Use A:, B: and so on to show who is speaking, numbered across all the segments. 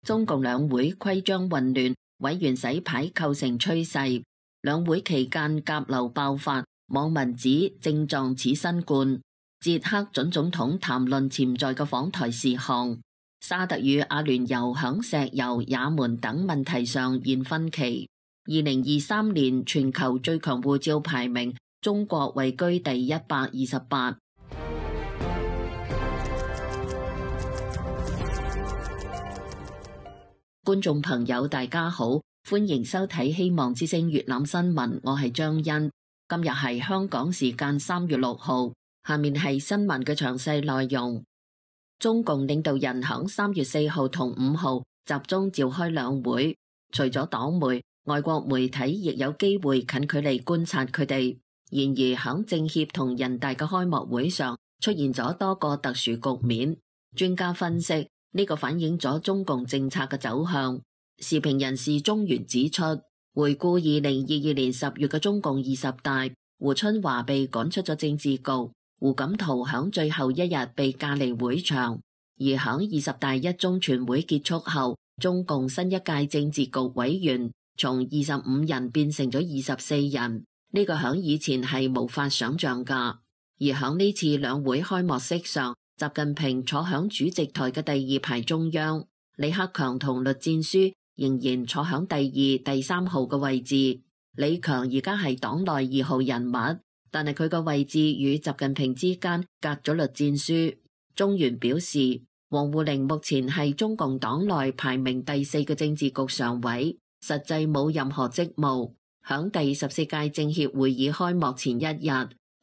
A: 中共兩會規章混亂，委員洗牌構成趨勢。兩會期間甲流爆發，網民指症狀似新冠。捷克準總統談論潛在嘅訪台事項。沙特與阿聯酋響石油、也門等問題上現分歧。2023年全球最強護照排名，中國位居第128。觀眾朋友大家好，歡迎收睇希望之聲粵覽新聞，我係張欣。今日係香港時間3月6號，下面係新聞嘅詳細內容。中共領導人響3月4號同5號集中召開兩會，除咗黨媒，外國媒體亦有機會近距離觀察佢哋。然而響政協同人大嘅開幕會上出現咗多個特殊局面，專家分析呢個反映咗中共政策嘅走向。時評人士中原指出，回顧2022年10月嘅中共20大，胡春華被趕出咗政治局，胡錦濤響最後一日被架離會場，而響20大一中全會結束後，中共新一屆政治局委員從25人變成咗24人，呢個響以前係無法想象噶。而響呢次兩會開幕式上，習近平坐響主席台嘅第2排中央，李克強同栗戰書仍然坐響第2、第3號嘅位置。李強而家係黨內2號人物，但係佢嘅位置與習近平之間隔咗栗戰書。中原表示，王滬寧目前係中共黨內排名第4嘅政治局常委，實際冇任何職務。響第14屆政協會議開幕前一日，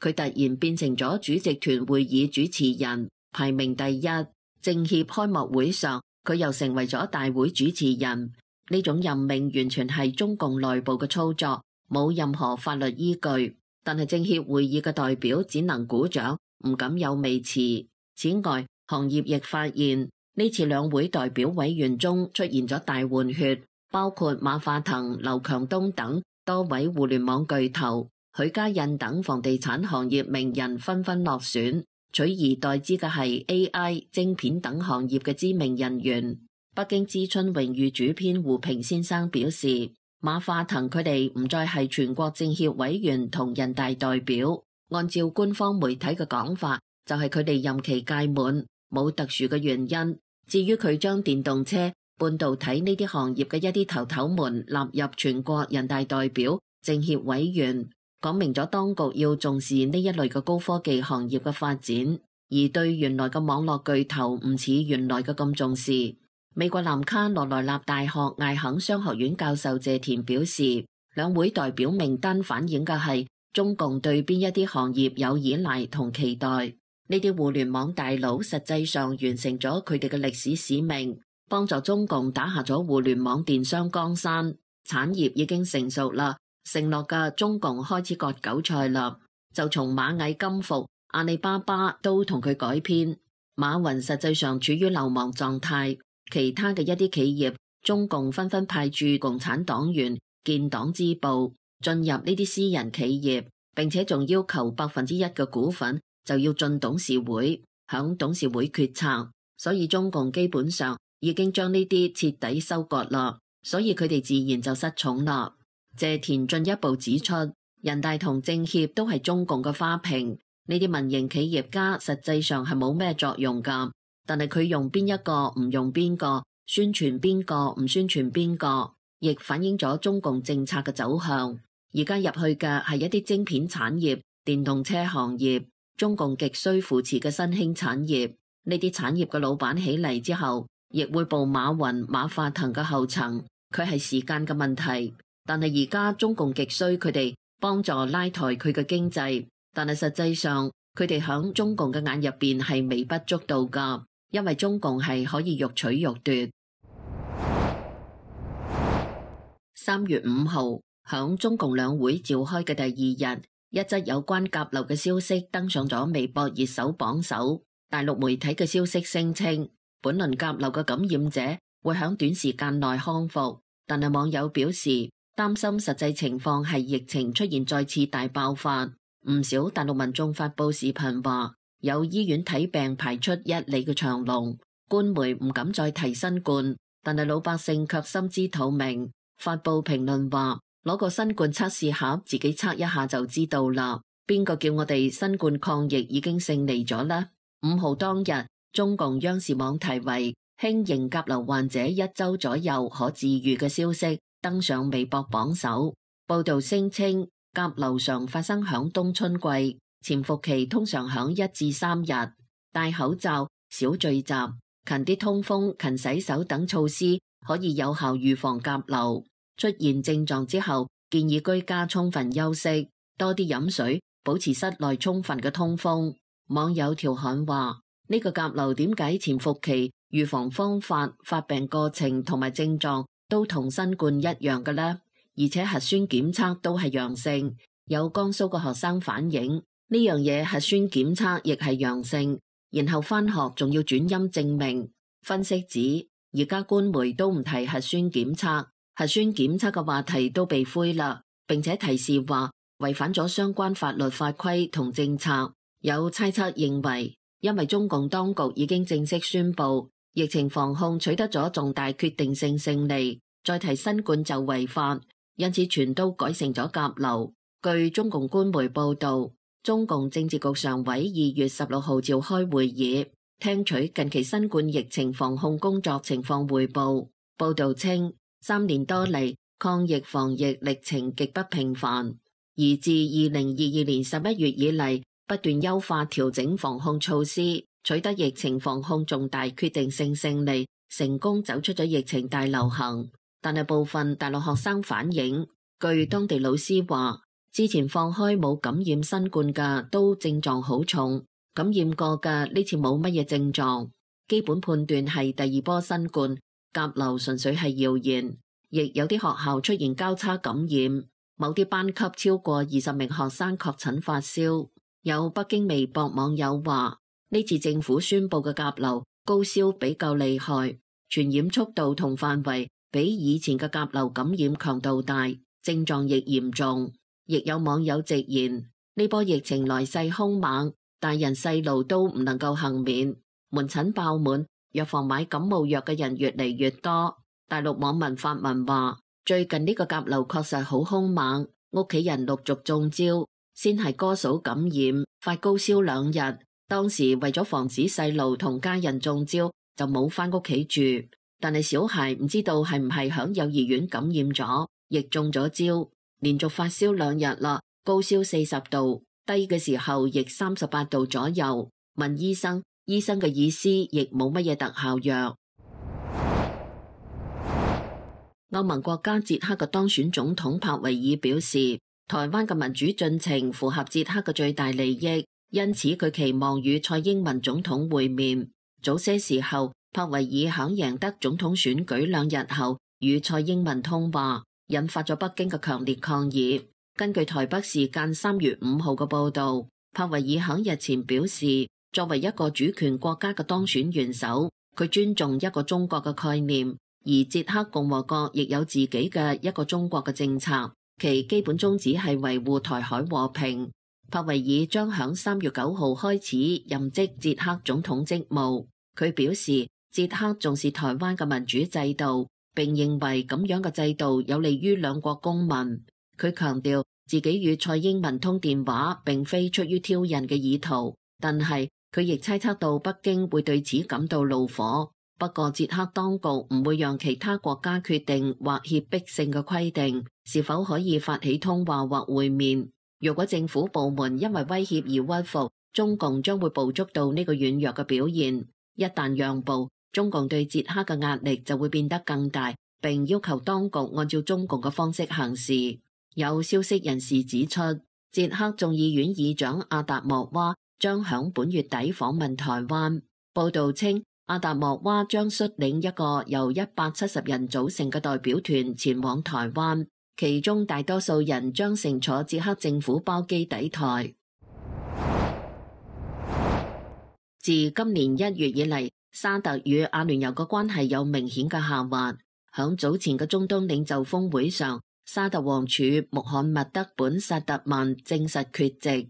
A: 佢突然變成咗主席團會議主持人，排名第1。政協開幕會上，佢又成為咗大會主持人。呢種任命完全係中共內部嘅操作，冇任何法律依據。但係政協會議嘅代表只能鼓掌，唔敢有微詞。此外，行業亦發現呢次兩會代表委員中出現咗大換血，包括馬化騰、劉強東等多位互聯網巨頭，許家印等房地產行業名人紛紛落選，取而代之嘅係 AI、晶片等行業嘅知名人員。北京知春榮譽主編胡平先生表示，馬化騰佢哋唔再係全國政協委員同人大代表，按照官方媒體嘅講法，就係佢哋任期屆滿，冇特殊嘅原因。至於佢將電動車、半導體呢啲行業嘅一啲頭頭們納入全國人大代表、政協委員，講明咗當局要重視呢一類嘅高科技行業嘅發展，而對原來嘅網絡巨頭唔似原來嘅咁重視。美國南卡羅來納大學艾肯商學院教授謝田表示，兩會代表名單反映嘅係中共對邊一啲行業有依賴同期待。呢啲互聯網大佬實際上完成咗佢哋嘅歷史使命，幫助中共打下咗互聯網電商江山，產業已經成熟啦，承諾嘅中共開始割韭菜啦，就從螞蟻金服、阿里巴巴都同佢改編。馬雲實際上處於流亡狀態。其他嘅一啲企業，中共紛紛派駐共產黨員建黨支部進入呢啲私人企業，並且仲要求1%嘅股份就要進董事會，響董事會決策。所以中共基本上已經將呢啲徹底收割啦，所以佢哋自然就失寵啦。謝田進一步指出，人大同政協都係中共嘅花瓶，呢啲民營企業家實際上係冇咩作用噶。但係佢用邊一個唔用邊個，宣傳邊個唔宣傳邊個，亦反映咗中共政策嘅走向。而家入去嘅係一啲晶片產業、電動車行業，中共極需扶持嘅新興產業。呢啲產業嘅老闆起嚟之後，亦會步馬雲、馬化騰嘅後塵，佢係時間嘅問題。但係而家中共極需佢哋幫助拉抬佢嘅經濟，但係實際上佢哋響中共嘅眼入邊係微不足道噶。因為中共係可以欲取欲奪。3月5號，響中共兩會召開嘅第2日，一則有關甲流嘅消息登上咗微博熱搜榜首。大陸媒體嘅消息聲稱，本輪甲流嘅感染者會響短時間內康復，但係網友表示擔心實際情況係疫情出現再次大爆發。唔少大陸民眾發佈視頻話，有醫院睇病排出1里嘅長龍，官媒唔敢再提新冠，但係老百姓卻心知肚明。發布評論話，攞個新冠測試盒自己測一下就知道啦。邊個叫我哋新冠抗疫已經勝利咗呢？5號當日，中共央視網題為輕型甲流患者1週左右可治癒嘅消息登上微博榜首。報道聲稱，甲流常發生響冬春季，潛伏期通常響1至3日。戴口罩、少聚集、勤啲通風、勤洗手等措施可以有效預防甲流。出現症狀之後，建議居家充分休息，多啲飲水，保持室內充分嘅通風。網友調侃話：呢個甲流點解潛伏期、預防方法、發病過程同埋症狀都同新冠一樣嘅呢？而且核酸檢測都係陽性。有江蘇嘅學生反映呢樣嘢核酸檢測亦係陽性，然後返學仲要轉陰證明。分析指，而家官媒都唔提核酸檢測。核酸檢測嘅話題都被灰啦，並且提示話違反咗相關法律法規同政策。有猜測認為，因為中共當局已經正式宣布疫情防控取得咗重大決定性勝利，再提新冠就違法，因此全都改成咗甲流。據中共官媒報道，中共政治局常委2月16號召開會議，聽取近期新冠疫情防控工作情況匯報。報道稱，3年多嚟，抗疫防疫歷程極不平凡，而自2022年11月以嚟，不斷優化調整防控措施，取得疫情防控重大決定性勝利，成功走出咗疫情大流行。但係部分大陸學生反映，據當地老師話，之前放開冇感染新冠嘅都症狀好重，感染過嘅呢次冇乜嘢症狀，基本判斷係第2波新冠。甲流純粹係謠言，亦有啲學校出現交叉感染，某啲班級超過20名學生確診發燒。有北京微博網友話，呢次政府宣布嘅甲流高燒比較厲害，傳染速度同範圍比以前嘅甲流感染強度大，症狀亦嚴重。亦有網友直言，呢波疫情來勢兇猛，大人細路都唔能夠幸免，門診爆滿，藥房買感冒藥嘅人越嚟越多。大陸網民發文話，最近呢個甲流確實好兇猛，屋企人陸續中招，先係哥嫂感染，發高燒2日。當時為咗防止細路同家人中招，就冇返屋企住。但係小孩唔知道係唔係響幼兒園感染咗，亦中咗招，連續發燒2日啦，高燒40度，低嘅時候亦38度左右。問醫生，醫生嘅意思亦冇乜嘢特效藥。歐盟國家捷克嘅當選總統帕維爾表示，台灣嘅民主進程符合捷克嘅最大利益，因此佢期望與蔡英文總統會面。早些時候，帕維爾響贏得總統選舉2日後與蔡英文通話，引發咗北京嘅強烈抗議。根據台北時間3月5號嘅報導，帕維爾響日前表示，作為一個主權國家嘅當選元首，佢尊重一個中國嘅概念，而捷克共和國亦有自己嘅一個中國嘅政策，其基本宗旨係維護台海和平。帕維爾將響3月9號開始任職捷克總統職務。佢表示，捷克重視台灣嘅民主制度，並認為咁樣嘅制度有利於兩國公民。佢強調自己與蔡英文通電話並非出於挑釁嘅意圖，但係佢亦猜測到北京會對此感到怒火。不過捷克當局唔會讓其他國家決定或脅迫性嘅規定是否可以發起通話或會面。若果政府部門因為威脅而屈服，中共將會捕捉到呢個軟弱嘅表現。一旦讓步，中共對捷克嘅壓力就會變得更大，並要求當局按照中共嘅方式行事。有消息人士指出，捷克眾議院議長阿達莫娃將響本月底訪問台灣。報道稱，阿達莫娃將率領一個由170人組成嘅代表團前往台灣，其中大多數人將乘坐捷克政府包機抵台。自今年1月以嚟，沙特與阿聯酋嘅關係有明顯嘅下滑。響早前嘅中東領袖峰會上，沙特王儲穆罕默德本薩特曼證實缺席，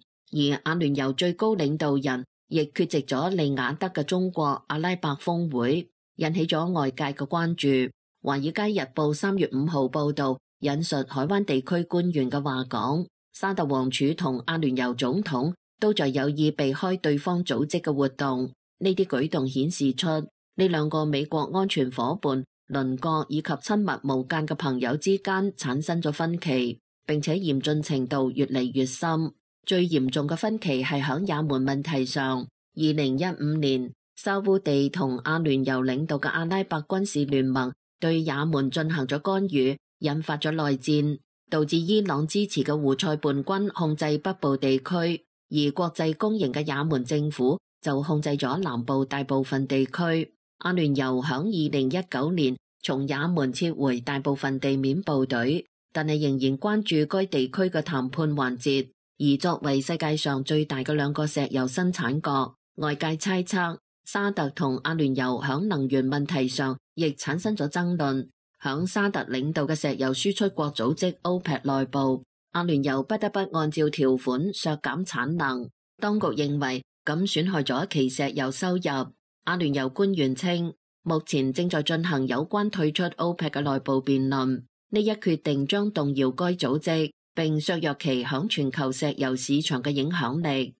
A: 而阿聯酋最高領導人亦缺席咗利雅得嘅中國阿拉伯峰會。引起咗外界嘅關注。《華爾街日報》3月5號報導，引述海灣地區官員嘅話講，沙特王儲同阿聯酋總統都在有意避開對方組織嘅活動。呢啲舉動顯示出呢兩個美國安全夥伴、鄰國以及親密無間嘅朋友之間產生咗分歧，並且嚴峻程度越嚟越深。最嚴重嘅分歧係響也門問題上。2015年，沙烏地同阿聯酋領導嘅阿拉伯軍事聯盟對也門進行咗干預，引發咗內戰，導致伊朗支持嘅胡塞叛軍控制北部地區，而國際公認嘅也門政府就控制咗南部大部分地區。阿聯酋響2019年從也門撤回大部分地面部隊，但係仍然關注該地區嘅談判環節。而作為世界上最大嘅兩個石油生產國，外界猜測沙特同阿聯酋響能源問題上亦產生咗爭論。響沙特領導嘅石油輸出國組織 OPEC 內部，阿聯酋不得不按照條款削減產能。當局認為咁損害咗其石油收入。阿聯酋官員稱，目前正在進行有關退出 OPEC 嘅內部辯論，呢一決定將動搖該組織，並削弱其響全球石油市場嘅影響力。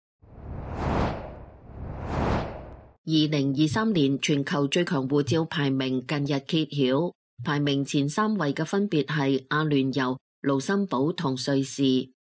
A: 2023年全球最強護照排名近日揭曉，排名前3位嘅分別係阿聯酋、盧森堡同瑞士。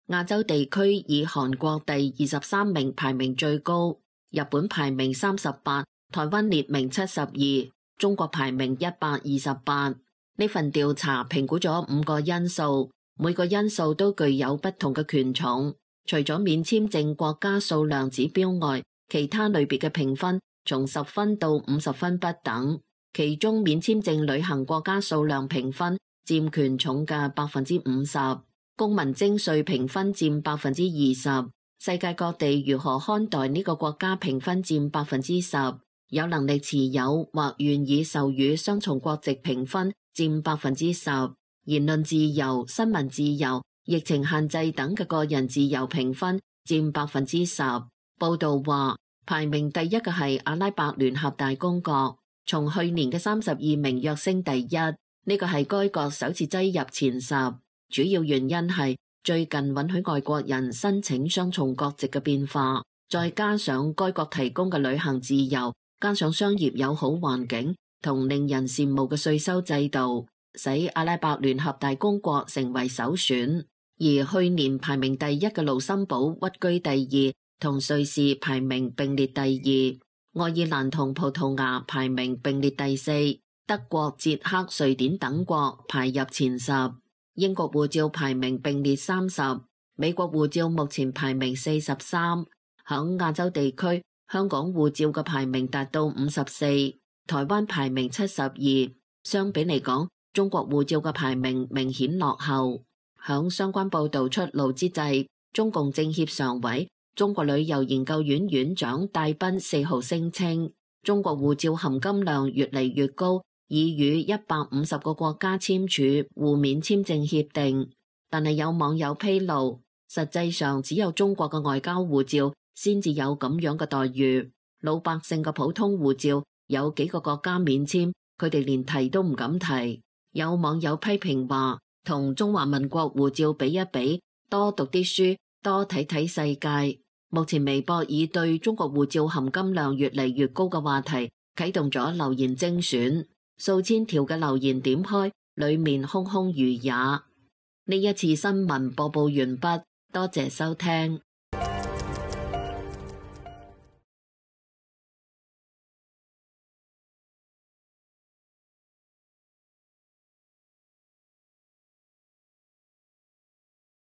A: 亞洲地區以韓國第23名排名最高，日本排名38，台灣列名72，中國排名128。呢份調查評估咗5個因素。每個因素都具有不同嘅權重，除咗免簽證國家數量指標外，其他類別嘅評分從10分到50分不等。其中免簽證旅行國家數量評分佔權重嘅50%，公民徵稅評分佔20%，世界各地如何看待呢個國家評分佔10%，有能力持有或願意授予雙重國籍評分佔10%。言論自由、新聞自由、疫情限制等嘅個人自由評分佔10%。報道話，排名第一嘅係阿拉伯聯合大公國，從去年嘅32名躍升第一，呢個係該國首次擠入前10。主要原因係最近允許外國人申請雙重國籍嘅變化，再加上該國提供嘅旅行自由，加上商業友好環境同令人羨慕嘅稅收制度，使阿拉伯聯合大公國成為首選。而去年排名第一嘅盧森堡屈居第二，同瑞士排名並列第二，愛爾蘭同葡萄牙排名並列第四，德國、捷克、瑞典等國排入前10。英國護照排名並列30，美國護照目前排名43。響亞洲地區，香港護照嘅排名達到54，台灣排名72。相比嚟講，中國護照嘅排名明顯落後。響相關報道出爐之際，中共政協常委、中國旅遊研究院院長戴斌4號聲稱，中國護照含金量越嚟越高，已與150個國家簽署互免簽證協定。但係有網友披露，實際上只有中國嘅外交護照先至有咁樣嘅待遇，老百姓嘅普通護照有幾個國家免簽，佢哋連提都唔敢提。有網友批評話，同中華民國護照比一比，多讀啲書，多睇睇世界。目前微博已對中國護照含金量越嚟越高嘅話題啟動咗留言精選，數千條嘅留言點開，裏面空空如也。呢一次新聞播報完畢，多謝收聽。